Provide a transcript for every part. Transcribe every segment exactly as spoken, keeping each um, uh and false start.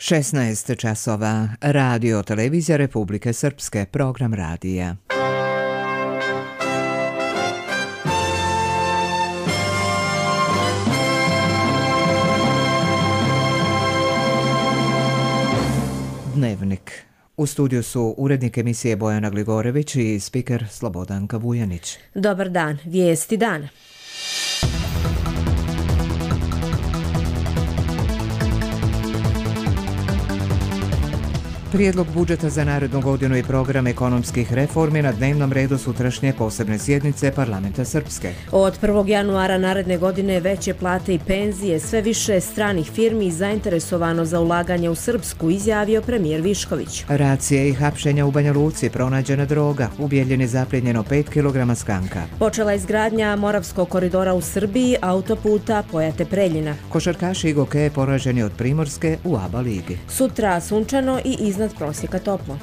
šesnaest časova. Radio televizija Republike Srpske, program radija. Dnevnik. U studiju su urednik emisije Bojana Gligorević i spiker Slobodanka Vujanić. Dobar dan, vijesti dana. Prijedlog budžeta za narednu godinu i program ekonomskih reformi na dnevnom redu sutrašnje posebne sjednice Parlamenta Srpske. Od prvog januara naredne godine veće plate i penzije, sve više stranih firmi zainteresovano za ulaganje u Srpsku, izjavio premijer Višković. Racije i hapšenja u Banja Luci, pronađena droga, u Bijeljini zaplijenjeno pet kilograma skanka. Počela izgradnja Moravskog koridora u Srbiji, autoputa Pojate-Preljina. Košarkaši Igoke poraženi od Primorske u A B A ligi. Sutra sunčano i iznad prosjeka toplo.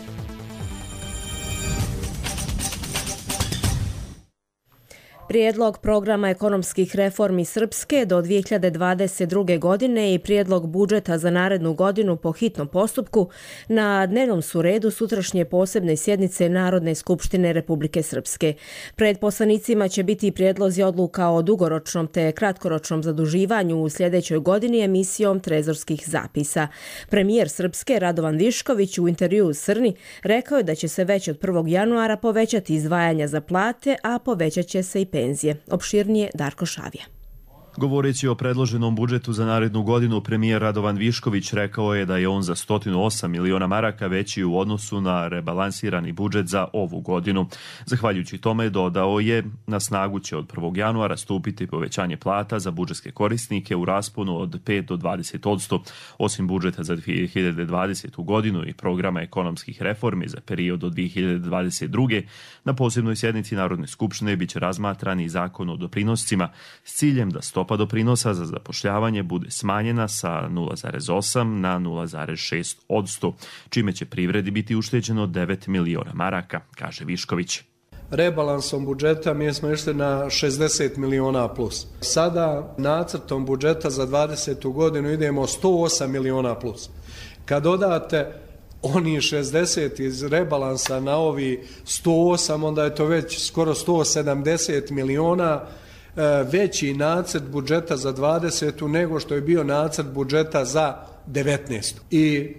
Prijedlog programa ekonomskih reformi Srpske do dvije hiljade dvadeset druge. godine i prijedlog budžeta za narednu godinu po hitnom postupku na dnevnom su redu sutrašnje posebne sjednice Narodne skupštine Republike Srpske. Pred poslanicima će biti i prijedlozi odluka o dugoročnom te kratkoročnom zaduživanju u sljedećoj godini emisijom trezorskih zapisa. Premijer Srpske Radovan Višković u intervjuu u Srni rekao je da će se već od prvog januara povećati izdvajanja za plate, a povećat će se i penzije. Opširnije Darko Šavija. Govoreći o predloženom budžetu za narednu godinu, premijer Radovan Višković rekao je da je on za sto osam miliona maraka veći u odnosu na rebalansirani budžet za ovu godinu. Zahvaljujući tome, dodao je, na snagu će od prvog januara stupiti povećanje plata za budžetske korisnike u rasponu od pet do dvadeset posto. Osim budžeta za dvije hiljade dvadesetu. godinu i programa ekonomskih reformi za period od dvije hiljade dvadeset druge. na posebnoj sjednici Narodne skupštine biće razmatran i zakon o doprinoscima s ciljem da stopa doprinosa za zapošljavanje bude smanjena sa nula zarez osam na nula zarez šest posto, čime će privredi biti ušteđeno devet miliona maraka, kaže Višković. Rebalansom budžeta mi smo išli na šezdeset miliona plus. Sada nacrtom budžeta za dvadesetu. godinu idemo sto osam miliona plus. Kad dodate oni šezdeset iz rebalansa na ovi sto osam, onda je to već skoro sto sedamdeset miliona veći nacrt budžeta za dvadesetu. nego što je bio nacrt budžeta za devetnaestu. I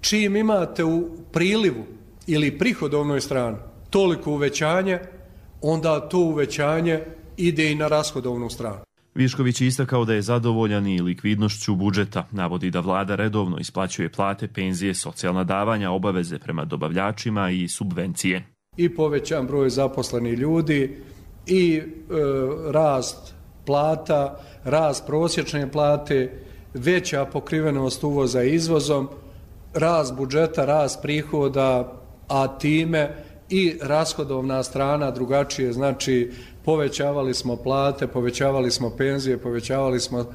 čim imate u prilivu ili prihodovnoj strani toliko uvećanje, onda to uvećanje ide i na rashodovnu stranu. Višković je istakao da je zadovoljan i likvidnošću budžeta. Navodi da vlada redovno isplaćuje plate, penzije, socijalna davanja, obaveze prema dobavljačima i subvencije. I povećan broj zaposlenih ljudi, i e, rast plata, rast prosječne plate, veća pokrivenost uvoza izvozom, rast budžeta, rast prihoda, a time i rashodovna strana drugačije, znači povećavali smo plate, povećavali smo penzije, povećavali smo e,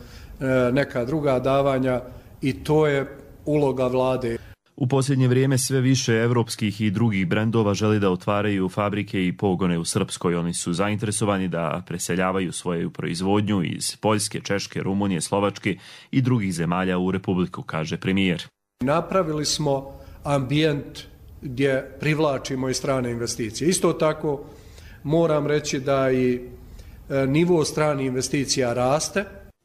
neka druga davanja i to je uloga vlade. U posljednje vrijeme sve više evropskih i drugih brendova želi da otvaraju fabrike i pogone u Srpskoj. Oni su zainteresovani da preseljavaju svoju proizvodnju iz Poljske, Češke, Rumunije, Slovačke i drugih zemalja u Republiku, kaže premijer. Napravili smo ambijent gdje privlačimo i strane investicije. Isto tako moram reći da i nivo stranih investicija raste.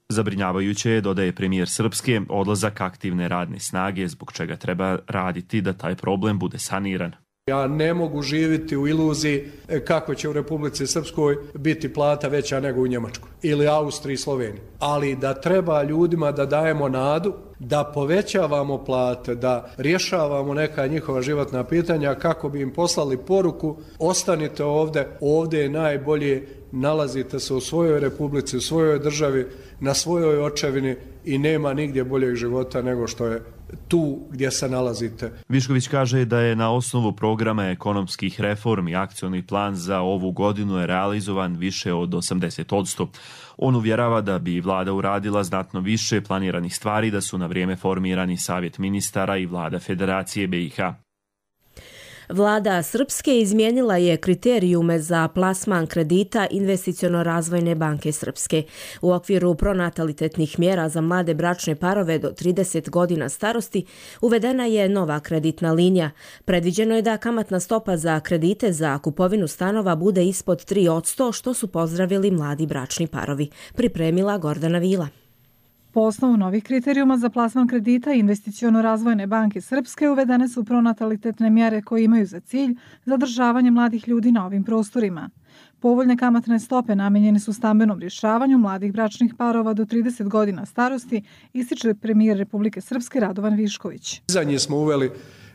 Zabrinjavajuće je, dodaje premijer Srpske, odlazak aktivne radne snage, zbog čega treba raditi da taj problem bude saniran. Ja ne mogu živjeti u iluziji kako će u Republici Srpskoj biti plata veća nego u Njemačkoj ili Austriji i Sloveniji. Ali da treba ljudima da dajemo nadu, da povećavamo plate, da rješavamo neka njihova životna pitanja kako bi im poslali poruku: ostanite ovdje, ovdje je najbolje, nalazite se u svojoj republici, u svojoj državi, na svojoj očevini i nema nigdje boljeg života nego što je tu gdje se nalazite. Višković kaže da je na osnovu programa ekonomskih reformi akcioni plan za ovu godinu je realizovan više od osamdeset posto. On uvjerava da bi vlada uradila znatno više planiranih stvari da su na vrijeme formirani Savjet ministara i vlada Federacije B i H. Vlada Srpske izmijenila je kriterijume za plasman kredita Investiciono-razvojne banke Srpske. U okviru pronatalitetnih mjera za mlade bračne parove do trideset godina starosti uvedena je nova kreditna linija. Predviđeno je da kamatna stopa za kredite za kupovinu stanova bude ispod tri posto, što su pozdravili mladi bračni parovi. Pripremila Gordana Vila. Po osnovu novih kriterijuma za plasman kredita Investiciono-razvojne banke Srpske uvedene su pronatalitetne mjere koje imaju za cilj zadržavanje mladih ljudi na ovim prostorima. Povoljne kamatne stope namijenjene su stambenom rješavanju mladih bračnih parova do trideset godina starosti, ističe premijer Republike Srpske Radovan Višković. Za nje smo uveli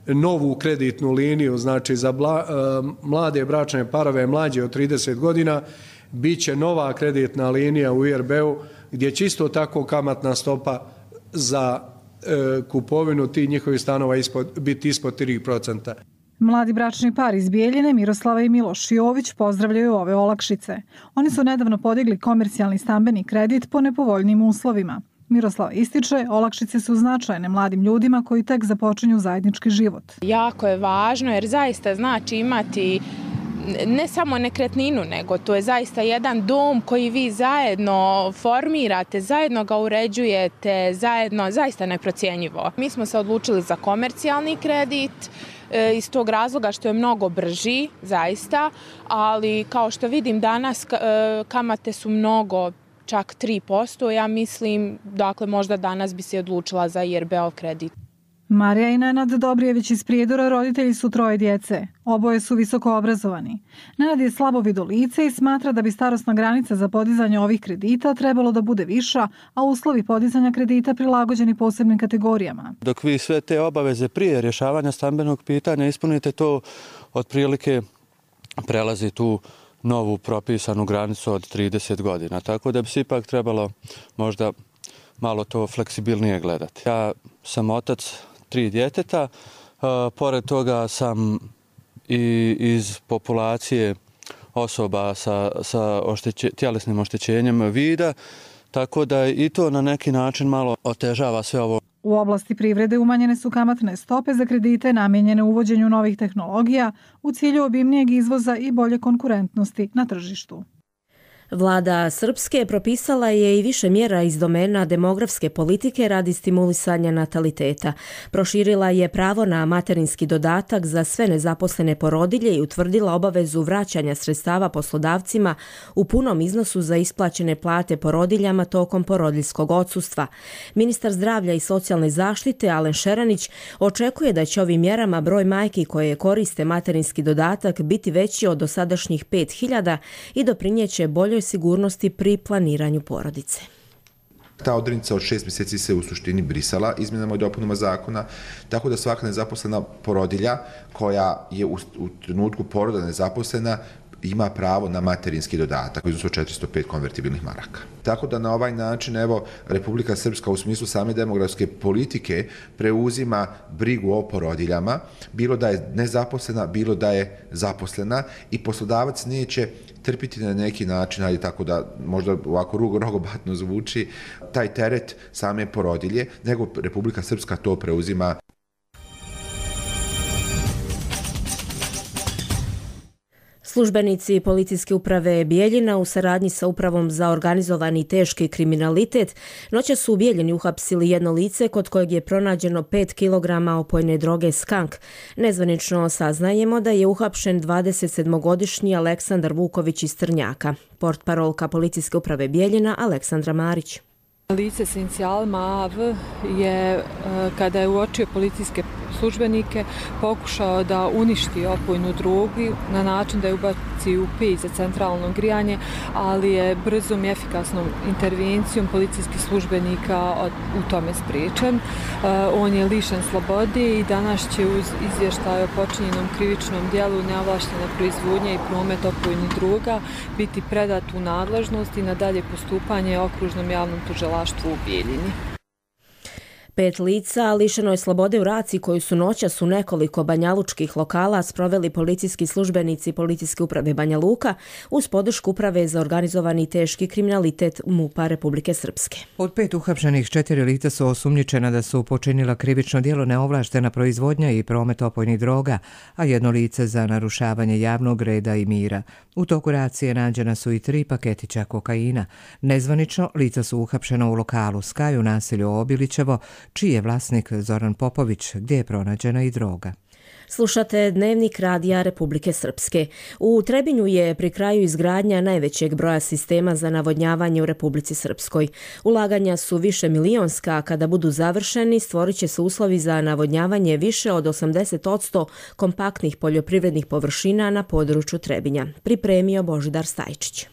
novu kreditnu liniju, znači za bla, mlade bračne parove mlađe od trideset godina, bit će nova kreditna linija u I R B-u gdje će isto tako kamatna stopa za e, kupovinu tih njihovih stanova ispod, biti ispod tri posto. Mladi bračni par iz Bijeljine, Miroslava i Miloš Jović, pozdravljaju ove olakšice. Oni su nedavno podigli komercijalni stambeni kredit po nepovoljnim uslovima. Miroslava ističe, olakšice su značajne mladim ljudima koji tek započinju zajednički život. Jako je važno jer zaista znači imati ne samo nekretninu, nego to je zaista jedan dom koji vi zajedno formirate, zajedno ga uređujete, zajedno, zaista neprocjenjivo. Mi smo se odlučili za komercijalni kredit iz tog razloga što je mnogo brži, zaista, ali kao što vidim danas kamate su mnogo, čak tri posto, ja mislim, dakle možda danas bi se odlučila za I R B-ov kredit. Marija i Nenad Dobrijević iz Prijedora roditelji su troje djece. Oboje su visoko obrazovani. Nenad je slabovido lice i smatra da bi starosna granica za podizanje ovih kredita trebalo da bude viša, a uslovi podizanja kredita prilagođeni posebnim kategorijama. Dok vi sve te obaveze prije rješavanja stambenog pitanja ispunite, to otprilike prelazi tu novu propisanu granicu od trideset godina. Tako da bi se ipak trebalo možda malo to fleksibilnije gledati. Ja sam otac tri djeteta, uh, pored toga sam i iz populacije osoba sa, sa ošteće, tjelesnim oštećenjem vida, tako da i to na neki način malo otežava sve ovo. U oblasti privrede umanjene su kamatne stope za kredite namijenjene uvođenju novih tehnologija u cilju obimnijeg izvoza i bolje konkurentnosti na tržištu. Vlada Srpske propisala je i više mjera iz domena demografske politike radi stimulisanja nataliteta. Proširila je pravo na materinski dodatak za sve nezaposlene porodilje i utvrdila obavezu vraćanja sredstava poslodavcima u punom iznosu za isplaćene plate porodiljama tokom porodiljskog odsustva. Ministar zdravlja i socijalne zaštite Alen Šeranić očekuje da će ovim mjerama broj majki koje koriste materinski dodatak biti veći od dosadašnjih pet hiljada i doprinijeće boljoj sigurnosti pri planiranju porodice. Ta odrednica od šest mjeseci se u suštini brisala izmjenama i dopunama zakona, tako da svaka nezaposlena porodilja koja je u, u trenutku poroda nezaposlena ima pravo na materinski dodatak u iznosu od četiristo pet konvertibilnih maraka. Tako da na ovaj način, evo, Republika Srpska u smislu same demografske politike preuzima brigu o porodiljama, bilo da je nezaposlena, bilo da je zaposlena, i poslodavac neće trpiti na neki način, ali tako da možda ovako rogobatno zvuči, taj teret same porodilje, nego Republika Srpska to preuzima. Službenici policijske uprave Bijeljina u saradnji sa upravom za organizovani i teški kriminalitet noćas su u Bijeljini uhapsili jedno lice kod kojeg je pronađeno pet kilograma opojne droge skank. Nezvanično saznajemo da je uhapšen dvadesetsedmogodišnji Aleksandar Vuković iz Trnjaka. Portparolka policijske uprave Bijeljina Aleksandra Marić. Lice s inicijalima A V je, kada je uočio policijske službenike, pokušao da uništi opojnu drogu na način da je ubaci u peć za centralno grijanje, ali je brzom i efikasnom intervencijom policijskih službenika u tome spriječen. On je lišen slobode i danas će uz izvještaj o počinjenom krivičnom djelu neovlaštene proizvodnje i promet opojnih droga biti predat u nadležnost i na dalje postupanje okružnom javnom tužilaštvu u Bijeljini. Pet lica lišeno je slobode u raciji koju su noćas u nekoliko banjalučkih lokala sproveli policijski službenici Policijske uprave Banja Luka uz podršku Uprave za organizovani teški kriminalitet MUP-a Republike Srpske. Od pet uhapšenih četiri lica su osumnjičena da su počinila krivično djelo neovlaštena proizvodnja i promet opojnih droga, a jedno lice za narušavanje javnog reda i mira. U toku racije nađena su i tri paketića kokaina. Nezvanično lica su uhapšena u lokalu Skaj u naselju Obilićevo, čiji je vlasnik Zoran Popović, gdje je pronađena i droga. Slušate Dnevnik radija Republike Srpske. U Trebinju je pri kraju izgradnja najvećeg broja sistema za navodnjavanje u Republici Srpskoj. Ulaganja su više milionska, a kada budu završeni stvorit će se uslovi za navodnjavanje više od osamdeset posto kompaktnih poljoprivrednih površina na području Trebinja. Pripremio Božidar Stajčić.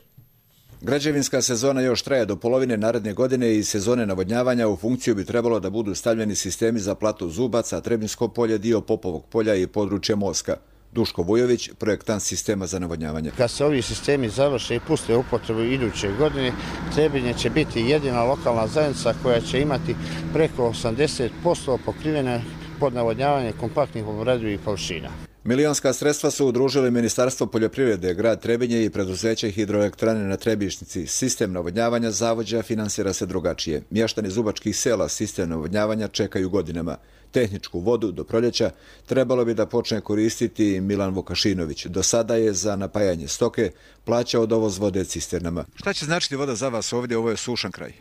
Građevinska sezona još traje do polovine naredne godine i sezone navodnjavanja. U funkciju bi trebalo da budu stavljeni sistemi za platu Zubaca, Trebinsko polje, dio Popovog polja i područje Moska. Duško Vujović, projektant sistema za navodnjavanje. Kad se ovi sistemi završe i puste u upotrebu iduće godine, Trebinje će biti jedina lokalna zajednica koja će imati preko osamdeset posto pokrivene pod navodnjavanje kompaktnih obradivih površina. Milionska sredstva su udružili Ministarstvo poljoprivrede, grad Trebinje i preduzeće hidroelektrane na Trebišnici. Sistem navodnjavanja zavođa finansira se drugačije. Mještani zubačkih sela sistem navodnjavanja čekaju godinama. Tehničku vodu do proljeća trebalo bi da počne koristiti Milan Vukašinović. Do sada je za napajanje stoke plaćao dovoz vode cisternama. Šta će značiti voda za vas ovdje? Ovo je sušan kraj.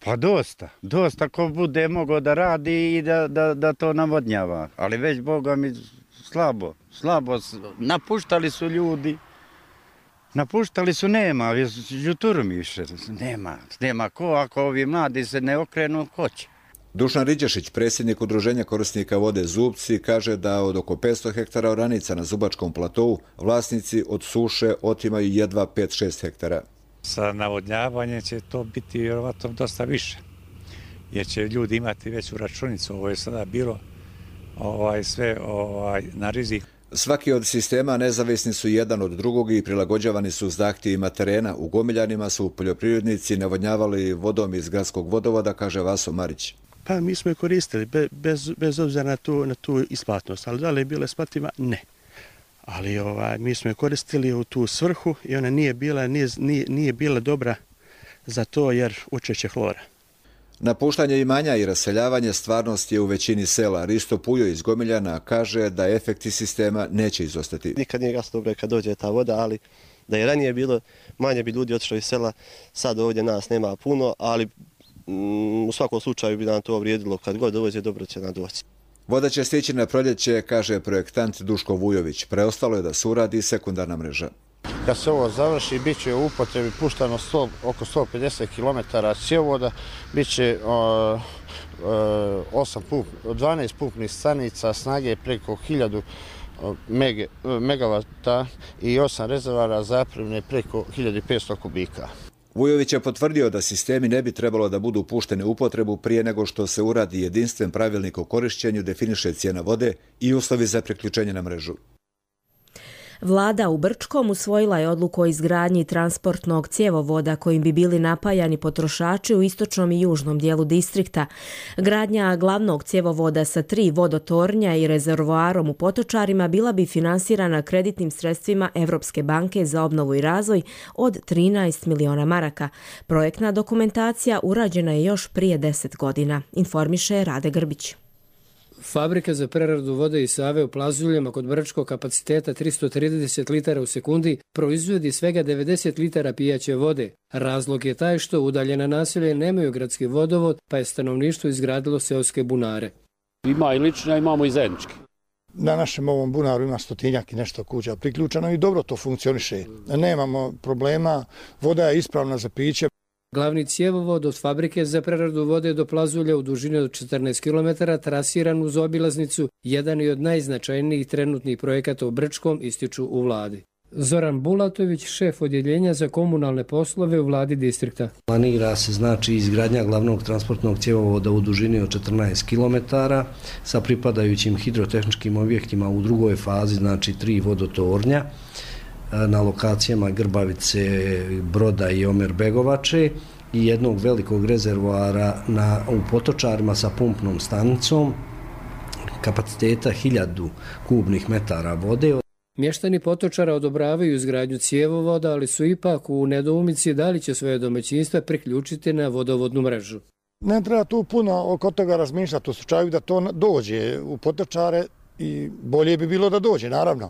Pa dosta, dosta ko bude mogao da radi i da, da, da to navodnjava. Ali već, Boga mi, slabo, slabo. Napuštali su ljudi, napuštali su, nema, juturu mi više, nema, nema ko, ako ovi mladi se ne okrenu, ko će. Dušan Riđešić, predsjednik Udruženja korisnika vode Zubci, kaže da od oko petsto hektara oranica na Zubačkom platovu vlasnici od suše otimaju jedva pet do šest hektara. Sa navodnjavanjem će to biti vjerovatno dosta više, jer će ljudi imati veću računicu. Ovo je sada bilo ovaj, sve ovaj, na rizik. Svaki od sistema nezavisni su jedan od drugog i prilagođavani su zahtjevima terena. U Gomiljanima su poljoprivrednici navodnjavali vodom iz gradskog vodovoda, kaže Vaso Marić. Pa mi smo je koristili bez, bez obzira na tu, na tu isplatnost, ali da li je bila isplativa? Ne. Ali ovaj, mi smo je koristili u tu svrhu i ona nije bila, nije, nije bila dobra za to jer učešće hlora. Napuštanje imanja i raseljavanje stvarnost je u većini sela. Risto Pujo iz Gomiljana kaže da efekti sistema neće izostati. Nikad nije gasno dobro kad dođe ta voda, ali da je ranije bilo, manje bi ljudi otišlo iz sela, sad ovdje nas nema puno, ali mm, u svakom slučaju bi nam to vrijedilo, kad god dođe dobro će nam doći. Voda će stići na proljeće, kaže projektant Duško Vujović. Preostalo je da se uradi sekundarna mreža. Kad se ovo završi, bit će u upotrebi puštano sto, oko sto pedeset kilometara cjevovoda, bit će uh, uh, osam pump, dvanaest pumpnih stanica snage preko hiljadu mege, megavata i osam rezervara zapremne preko hiljadu petsto kubika. Vujović je potvrdio da sistemi ne bi trebalo da budu pušteni u upotrebu prije nego što se uradi jedinstven pravilnik o korišćenju, definiše cijena vode i uslovi za priključenje na mrežu. Vlada u Brčkom usvojila je odluku o izgradnji transportnog cjevovoda kojim bi bili napajani potrošači u istočnom i južnom dijelu distrikta. Gradnja glavnog cjevovoda sa tri vodotornja i rezervoarom u Potočarima bila bi finansirana kreditnim sredstvima Evropske banke za obnovu i razvoj od trinaest miliona maraka. Projektna dokumentacija urađena je još prije deset godina, informiše Rade Grbić. Fabrika za preradu vode iz Save u Plazuljama kod Brčkog kapaciteta tristo trideset litara u sekundi proizvodi svega devedeset litara pijaće vode. Razlog je taj što udaljena naselja nemaju gradski vodovod, pa je stanovništvo izgradilo seoske bunare. Ima i lično, imamo i zajednički. Na našem ovom bunaru ima stotinjak i nešto kuća priključeno i dobro to funkcioniše. Nemamo problema, voda je ispravna za piće. Glavni cjevovod od fabrike za preradu vode do Plazulja u dužini od četrnaest kilometara trasiran uz obilaznicu, jedan je od najznačajnijih trenutnih projekata u Brčkom, ističu u vladi. Zoran Bulatović, šef odjeljenja za komunalne poslove u vladi distrikta. Planira se znači izgradnja glavnog transportnog cjevovoda u dužini od četrnaest kilometara sa pripadajućim hidrotehničkim objektima u drugoj fazi, znači tri vodotornja na lokacijama Grbavice, Broda i Omer Begovače i jednog velikog rezervoara na, u Potočarima sa pumpnom stanicom kapaciteta hiljadu kubnih metara vode. Mještani Potočara odobravaju izgradnju cjevovoda, ali su ipak u nedoumici da li će svoje domaćinstva priključiti na vodovodnu mrežu. Ne treba tu puno oko toga razmišljati u slučaju da to dođe u Potočare i bolje bi bilo da dođe, naravno.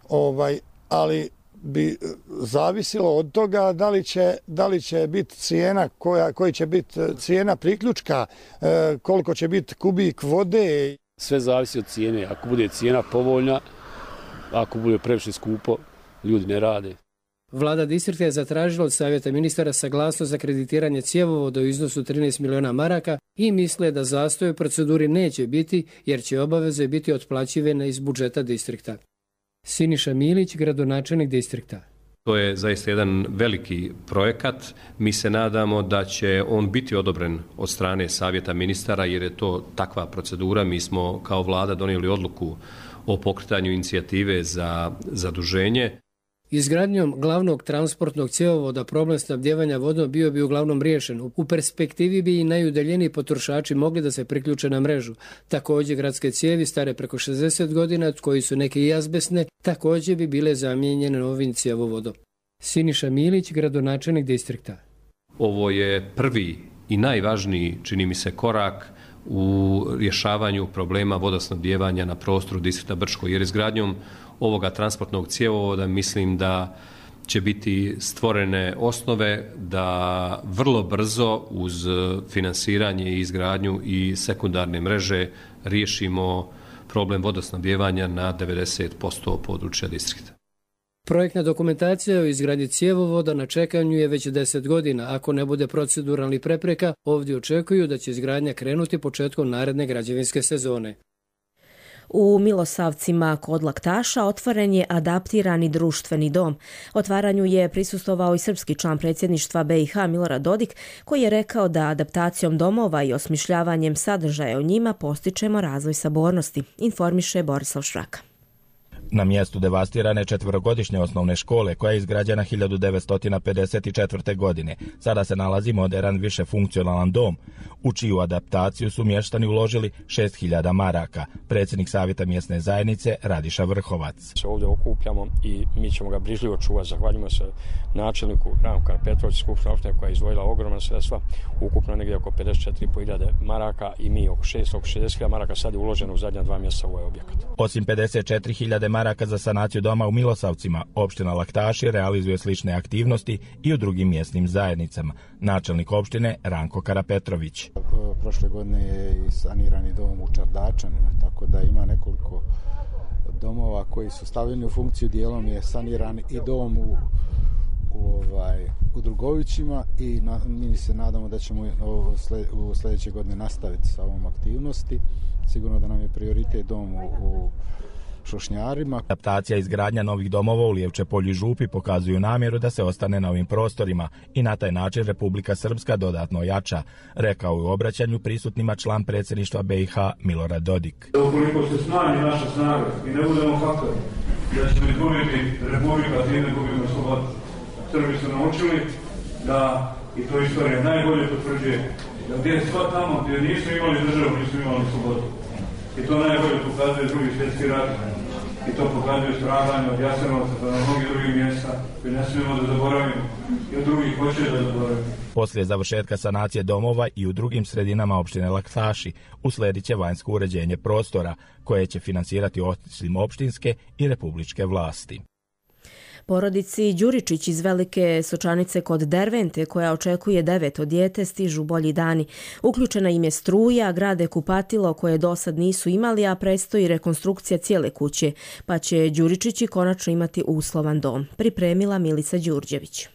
Ovaj, ali bi zavisilo od toga da li će, da li će biti cijena, koja, koji će biti cijena priključka, koliko će biti kubik vode. Sve zavisi od cijene. Ako bude cijena povoljna, ako bude previše skupo, ljudi ne rade. Vlada distrikta je zatražila od Savjeta ministara saglasnost za kreditiranje cjevovoda u iznosu trinaest miliona maraka i misle da zastoj u proceduri neće biti jer će obaveze biti otplaćivane iz budžeta distrikta. Siniša Milić, gradonačelnik distrikta. To je zaista jedan veliki projekat. Mi se nadamo da će on biti odobren od strane Savjeta ministara jer je to takva procedura. Mi smo kao vlada donijeli odluku o pokretanju inicijative za zaduženje. Izgradnjom glavnog transportnog cjevovoda problem snabdijevanja vodom bio bi uglavnom riješen. U perspektivi bi i najudaljeniji potrošači mogli da se priključe na mrežu. Također gradske cijevi stare preko šezdeset godina, koji su neke i azbestne, također bi bile zamijenjene novim cjevovodom. Siniša Milić, gradonačelnik distrikta. Ovo je prvi i najvažniji, čini mi se, korak u rješavanju problema vodosnabdijevanja na prostoru distrikta Brčko, jer izgradnjom ovoga transportnog cjevovoda mislim da će biti stvorene osnove da vrlo brzo uz finansiranje i izgradnju i sekundarne mreže riješimo problem vodosnabdijevanja na devedeset posto područja distrikta. Projektna dokumentacija o izgradnji cjevovoda na čekanju je već deset godina. Ako ne bude proceduralnih prepreka, ovdje očekuju da će izgradnja krenuti početkom naredne građevinske sezone. U Milosavcima kod Laktaša otvoren je adaptirani društveni dom. Otvaranju je prisustvovao i srpski član predsjedništva B i H Milorad Dodik, koji je rekao da adaptacijom domova i osmišljavanjem sadržaja u njima postičemo razvoj sabornosti, informiše Borislav Šraka. Na mjestu devastirane četverogodišnje osnovne škole, koja je izgrađena hiljadu devetsto pedeset četvrte. godine, sada se nalazi moderan višefunkcionalan dom, u čiju adaptaciju su mještani uložili šest hiljada maraka. Predsjednik Savjeta mjesne zajednice Radiša Vrhovac. Se ovdje okupljamo i mi ćemo ga brižljivo čuvati. Zahvaljujemo se načelniku Ranku Karapetrović, skupština opštine koja je izdvojila ogromna sredstva, ukupno negdje oko pedeset četiri hiljade maraka i mi oko šest, oko šezdeset hiljada maraka sad je uloženo u zadnja dva mjeseca u ovaj objekat. Osim pedeset četiri hiljade maraka za sanaciju doma u Milosavcima, opština Laktaši realizuje slične aktivnosti i u drugim mjesnim zajednicama. Načelnik opštine Ranko Karapetrović. Prošle godine je i sanirani dom u Čardačanima, tako da ima nekoliko domova koji su stavljeni u funkciju. Dijelom je saniran i dom u, u, ovaj, u Drugovićima i na, mi se nadamo da ćemo u sljedeće godine nastaviti sa ovom aktivnosti. Sigurno da nam je prioritet dom u, u Šošnjarima. Adaptacija i izgradnja novih domova u Lijevče polju i Župi pokazuju namjeru da se ostane na ovim prostorima i na taj način Republika Srpska dodatno jača, rekao je u obraćanju prisutnima član predsjedništva B i H Milorad Dodik. Ukoliko se smanji naša snaga i ne budemo faktori, da ćemo izgubiti Republika, time gubimo slobodu. Srbi su naučili da, i to istorija najbolje potvrđuje, da gdje sva tamo gdje nisu imali državu, nisu imali slobodu. I to najbolje pokazuje drugi svjetski rat. I to pokazuje stradanje od Jasenovca do mnogih drugih mjesta koje ne smijemo da zaboravimo i od drugih hoće da zaboravimo. Poslije završetka sanacije domova i u drugim sredinama opštine Laktaši usledit će vanjsko uređenje prostora koje će finansirati osim opštinske i republičke vlasti. Porodici Đuričić iz Velike Sočanice kod Dervente, koja očekuje deveto dijete, stižu bolji dani. Uključena im je struja, grade kupatilo koje do sad nisu imali, a predstoji rekonstrukcija cijele kuće, pa će Đuričići konačno imati uslovan dom. Pripremila Milica Đurđević.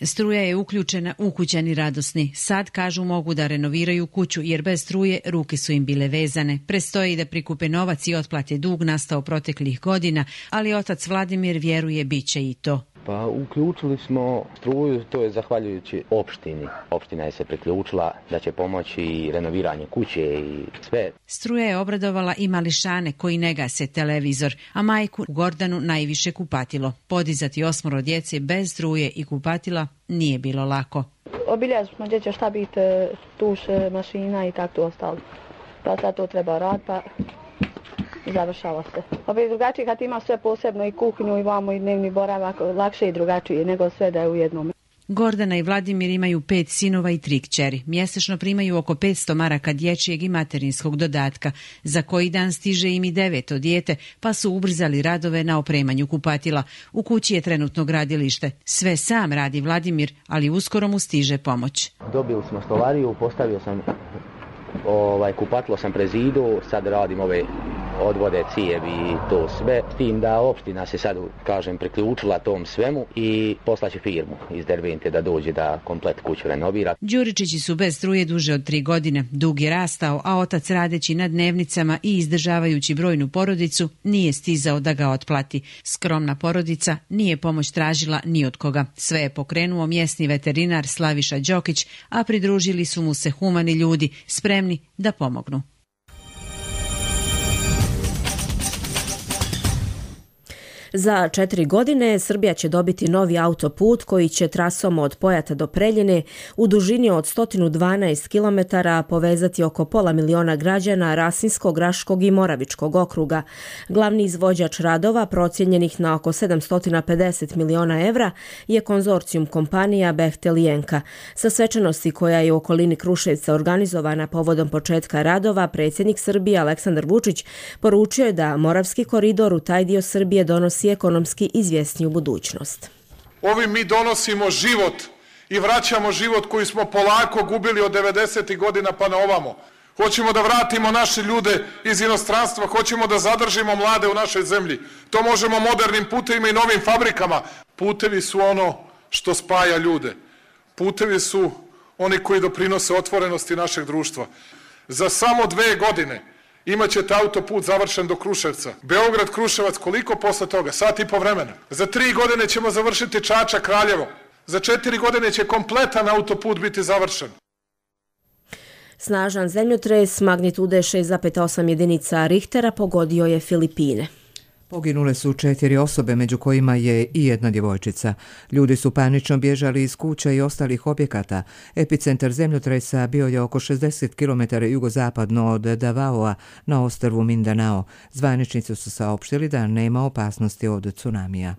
Struja je uključena, ukućani radosni. Sad, kažu, mogu da renoviraju kuću jer bez struje ruke su im bile vezane. Prestoji da prikupe novac i otplate dug nastao proteklih godina, ali otac Vladimir vjeruje bit će i to. Pa uključili smo struju, to je zahvaljujući opštini. Opština je se priključila da će pomoći i renoviranje kuće i sve. Struja je obradovala i mališane koji ne gase televizor, a majku Gordanu najviše kupatilo. Podizati osmoro djece bez struje i kupatila nije bilo lako. Obilježili smo gdje će šta biti tuš, mašina i tako to ostalo. Pa sad to treba raditi, pa završava se. Opet drugačije kad ima sve posebno i kuhinju i vamo i dnevni boravak, lakše i drugačije nego sve da je u jednom. Gordana i Vladimir imaju pet sinova i tri kćeri. Mjesečno primaju oko petsto maraka dječjeg i materinskog dodatka. Za koji dan stiže im i deveto dijete, pa su ubrzali radove na opremanju kupatila. U kući je trenutno gradilište. Sve sam radi Vladimir, ali uskoro mu stiže pomoć. Dobili smo stolariju, postavio sam ovaj, kupatilo sam prezidu, sad radim ove odvode, cijevi i to sve. S tim da opština se sad, kažem, priključila tom svemu i poslaće firmu iz Dervente da dođe da komplet kuću renovira. Đuričići su bez struje duže od tri godine. Dug je rastao, a otac radeći na dnevnicama i izdržavajući brojnu porodicu nije stizao da ga otplati. Skromna porodica nije pomoć tražila ni od koga. Sve je pokrenuo mjesni veterinar Slaviša Đokić, a pridružili su mu se humani ljudi, spremni da pomognu. Za četiri godine Srbija će dobiti novi autoput koji će trasom od Pojata do Preljine u dužini od sto dvanaest kilometara povezati oko pola miliona građana Rasinskog, Raškog i Moravičkog okruga. Glavni izvođač radova, procijenjenih na oko sedamsto pedeset miliona evra, je konzorcijum kompanija Bechtel i Enka. Sa svečanosti koja je u okolini Kruševca organizovana povodom početka radova, predsjednik Srbije Aleksandar Vučić poručio je da Moravski koridor u taj dio Srbije donosi ekonomski izvjesniju budućnost. Ovim mi donosimo život i vraćamo život koji smo polako gubili od devedesetih godina pa na ovamo. Hoćemo da vratimo naše ljude iz inostranstva, hoćemo da zadržimo mlade u našoj zemlji. To možemo modernim putevima i novim fabrikama. Putevi su ono što spaja ljude. Putevi su oni koji doprinose otvorenosti našeg društva. Za samo dve godine imaćete autoput završen do Kruševca. Beograd-Kruševac, koliko posle toga? Sat i po vremena. Za tri godine ćemo završiti Čačak-Kraljevo. Za četiri godine će kompletan autoput biti završen. Snažan zemljotres magnitude šest zarez osam jedinica Richtera pogodio je Filipine. Poginule su četiri osobe, među kojima je i jedna djevojčica. Ljudi su panično bježali iz kuća i ostalih objekata. Epicentar zemljotresa bio je oko šezdeset kilometara jugozapadno od Davaoa na ostrvu Mindanao. Zvaničnici su saopštili da nema opasnosti od tsunamija.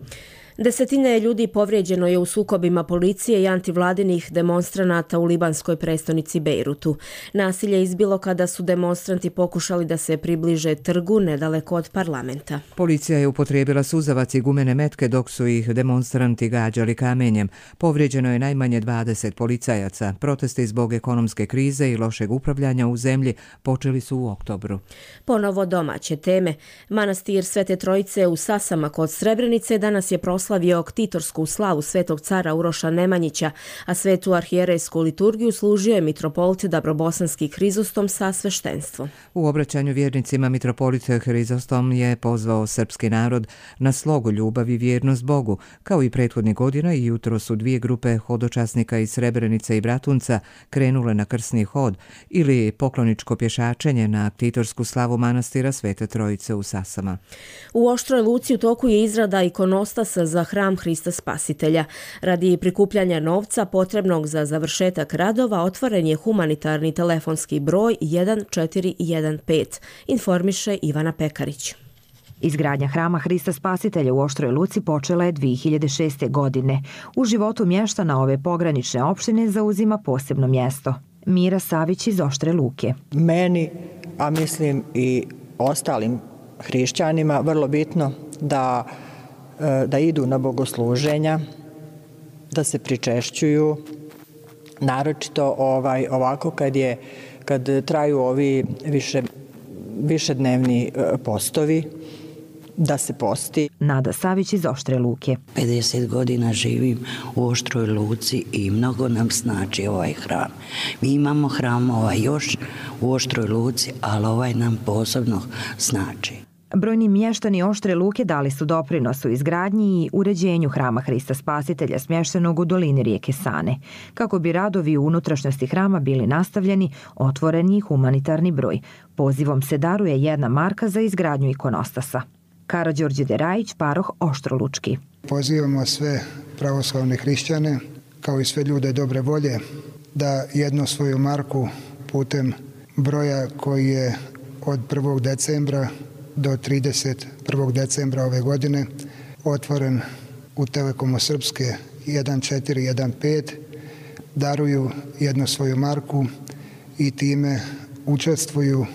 Desetine ljudi povrijeđeno je u sukobima policije i antivladinih demonstranata u libanskoj prestonici Bejrutu. Nasilje je izbilo kada su demonstranti pokušali da se približe trgu nedaleko od parlamenta. Policija je upotrijebila suzavac i gumene metke dok su ih demonstranti gađali kamenjem. Povrijeđeno je najmanje dvadeset policajaca. Protesti zbog ekonomske krize i lošeg upravljanja u zemlji počeli su u oktobru. Ponovo domaće teme. Manastir Svete Trojice u Sasama kod Srebrenice danas je proslavio proslavio ktitorsku slavu svetog cara Uroša Nemanjića, a svetu arhijerejsku liturgiju služio je mitropolit Dabrobosanski Hrizostom sa sveštenstvom. U obraćanju vjernicima mitropolit Hrizostom je pozvao srpski narod na slogu, ljubav i vjernost Bogu. Kao i prethodnih godina i jutro su dvije grupe hodočasnika iz Srebrenice i Bratunca krenule na krsni hod ili pokloničko pješačenje na ktitorsku slavu manastira Svete Trojice u Sasama. U Oštroj Luci u toku je izrada ikonostasa za hram Hrista Spasitelja. Radi prikupljanja novca potrebnog za završetak radova otvoren je humanitarni telefonski broj jedan četiri jedan pet, informiše Ivana Pekarić. Izgradnja hrama Hrista Spasitelja u Oštroj Luci počela je dvije hiljade šeste. godine. U životu mještana ove pogranične opštine zauzima posebno mjesto. Mira Savić iz Oštre Luke. Meni, a mislim i ostalim hrišćanima, vrlo bitno da da idu na bogosluženja, da se pričešćuju, naročito ovaj, ovako kad, je, kad traju ovi više, višednevni postovi, da se posti. Nada Savić iz Oštre Luke. pedeset godina živim u Oštroj Luci i mnogo nam znači ovaj hram. Mi imamo hram ovaj još u Oštroj Luci, ali ovaj nam posebno znači. Brojni mještani Oštre Luke dali su doprinos u izgradnji i uređenju hrama Hrista Spasitelja smještenog u dolini rijeke Sane. Kako bi radovi u unutrašnjosti hrama bili nastavljeni, otvoren je humanitarni broj. Pozivom se daruje jedna marka za izgradnju ikonostasa. Karađorđe Derajić, paroh Oštrolučki. Pozivamo sve pravoslavne hrišćane, kao i sve ljude dobre volje, da jednu svoju marku putem broja koji je od prvog decembra do trideset prvog decembra ove godine otvoren u Telekomu Srpske jedan četiri jedan pet, daruju jednu svoju marku i time učestvuju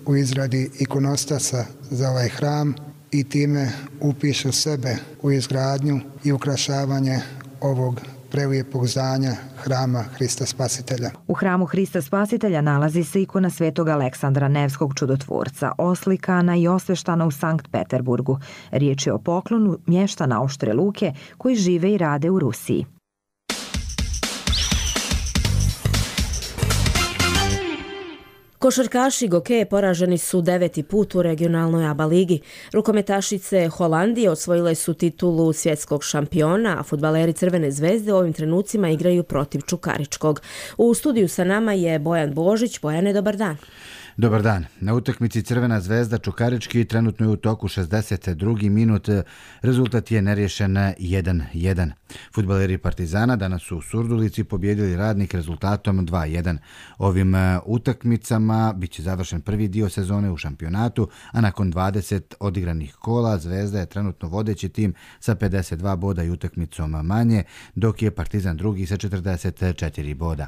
u izradi ikonostasa za ovaj hram i time upišu sebe u izgradnju i ukrašavanje ovog prelijepog zdanja hrama Hrista Spasitelja. U hramu Hrista Spasitelja nalazi se ikona svetog Aleksandra Nevskog čudotvorca, oslikana i osveštana u Sankt Peterburgu. Riječ je o poklonu mještana Oštre Luke koji žive i rade u Rusiji. Košarkaši Gokeje poraženi su deveti put u regionalnoj A B A ligi. Rukometašice Holandije osvojile su titulu svjetskog šampiona, a fudbaleri Crvene zvezde u ovim trenucima igraju protiv Čukaričkog. U studiju sa nama je Bojan Božić. Bojane, dobar dan. Dobar dan. Na utakmici Crvena zvezda Čukarički trenutno je u toku šezdeset drugi minut. Rezultat je nerješen jedan jedan. Fudbaleri Partizana danas su u Surdulici pobjedili Radnik rezultatom dva jedan. Ovim utakmicama bit će završen prvi dio sezone u šampionatu, a nakon dvadeset odigranih kola Zvezda je trenutno vodeći tim sa pedeset dva boda i utakmicom manje, dok je Partizan drugi sa četrdeset četiri boda.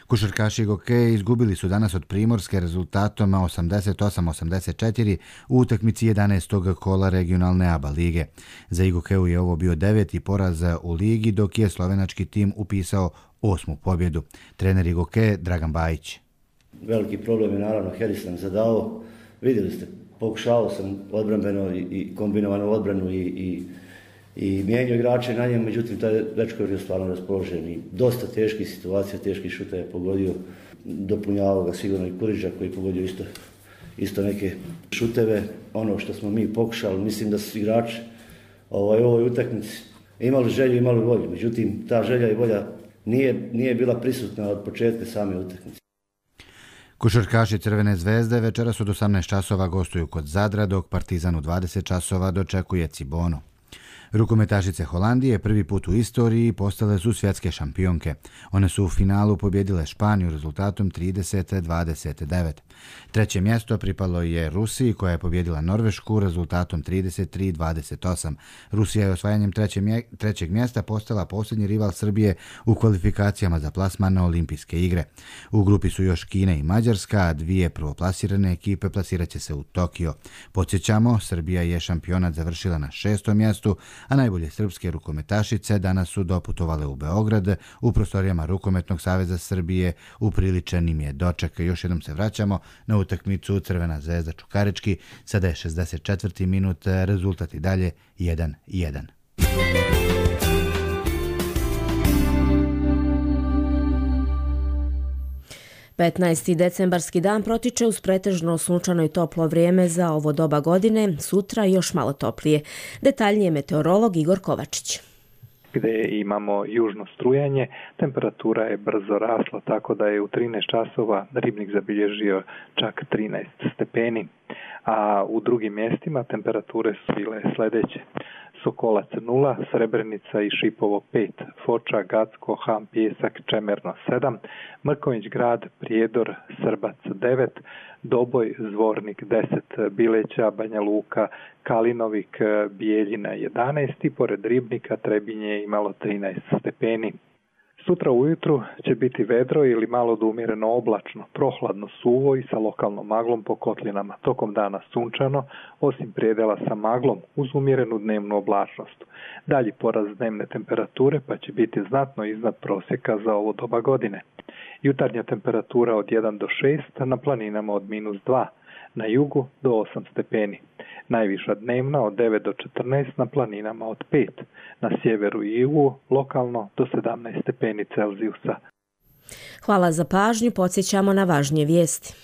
Košarkaši Gokeje izgubili su danas od Primorske rezultatom osamdeset osam osamdeset četiri u utakmici jedanaestog kola regionalne A B A lige. Za Gokeju je ovo bio deveti poraz u ligi, dok je slovenački tim upisao osmu pobjedu. Trener Gokeje Dragan Bajić. Veliki problem je naravno Heris nam zadao. Vidjeli ste, pokušao sam odbrambeno i kombinovanu odbranu i, i i mijenjao igrače na njem, međutim taj dečko je stvarno raspoložen i dosta teških situacija, teških šuta je pogodio, dopunjavao ga sigurno i Kuriđa koji je pogodio isto, isto neke šuteve. Ono što smo mi pokušali, mislim da su igrači ovaj, u ovoj utakmici imali želju, imali volju, međutim ta želja i volja nije, nije bila prisutna od početka same utakmice. Košarkaši Crvene zvezde večeras od osamnaest časova gostuju kod Zadra, dok Partizan u dvadeset časova dočekuje Cibonu. Rukometašice Holandije prvi put u istoriji postale su svjetske šampionke. One su u finalu pobjedile Španiju rezultatom trideset dvadeset devet. Treće mjesto pripalo je Rusiji koja je pobjedila Norvešku rezultatom trideset tri dvadeset osam. Rusija je osvajanjem trećeg mjesta postala posljednji rival Srbije u kvalifikacijama za plasman na olimpijske igre. U grupi su još Kina i Mađarska, a dvije prvoplasirane ekipe plasirat će se u Tokio. Podsjećamo, Srbija je šampionat završila na šestom mjestu, a najbolje srpske rukometašice danas su doputovale u Beograd u prostorijama Rukometnog saveza Srbije. Upriličen im je doček. Još jednom se vraćamo na utakmicu Crvena zvezda Čukarički. Sada je šezdeset četvrti minut, rezultat i dalje jedan jedan. petnaesti decembarski dan protiče uz pretežno sunčano i toplo vrijeme za ovo doba godine, sutra još malo toplije. Detaljnije meteorolog Igor Kovačić. Gdje imamo južno strujanje, temperatura je brzo rasla, tako da je u trinaest časova Ribnik zabilježio čak trinaest stepeni, a u drugim mjestima temperature su bile sljedeće. Sokolac nula, Srebrenica i Šipovo pet, Foča, Gacko, Ham, Pijesak, Čemerno sedam, Mrković grad, Prijedor, Srbac devet, Doboj, Zvornik deset, Bileća, Banja Luka, Kalinovik, Bijeljina jedanaest i pored Ribnika Trebinje je imalo trinaest stepeni. Sutra ujutru će biti vedro ili malo do umjereno oblačno, prohladno suvo i sa lokalnom maglom po kotlinama. Tokom dana sunčano, osim prijedela sa maglom uz umjerenu dnevnu oblačnost. Dalji porast dnevne temperature pa će biti znatno iznad prosjeka za ovo doba godine. Jutarnja temperatura od jedan do šest, na planinama od minus dva, na jugu do osam stepeni. Najviša dnevna od devet do četrnaest, na planinama od pet, na sjeveru i jugu lokalno do sedamnaest stepeni Celzijusa. Hvala za pažnju, podsjećamo na važnije vijesti.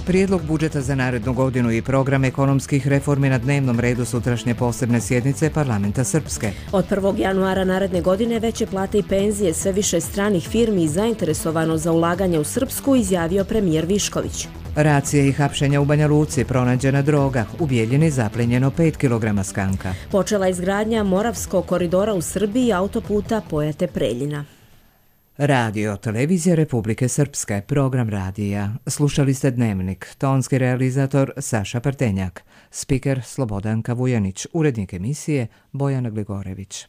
Prijedlog budžeta za narednu godinu i program ekonomskih reformi na dnevnom redu sutrašnje posebne sjednice parlamenta Srpske. Od prvog januara naredne godine veće plate i penzije, sve više stranih firmi i zainteresovano za ulaganje u Srpsku, izjavio premijer Višković. Racije i hapšenja u Banja Luci, pronađena droga, u Bijeljini zaplenjeno pet kilograma skanka. Počela izgradnja Moravskog koridora u Srbiji i autoputa Pojate-Preljina. Radio, televizija Republike Srpske, program radija. Slušali ste Dnevnik, tonski realizator Saša Partenjak, spiker Slobodanka Vujanić, urednik emisije Bojana Gligorević.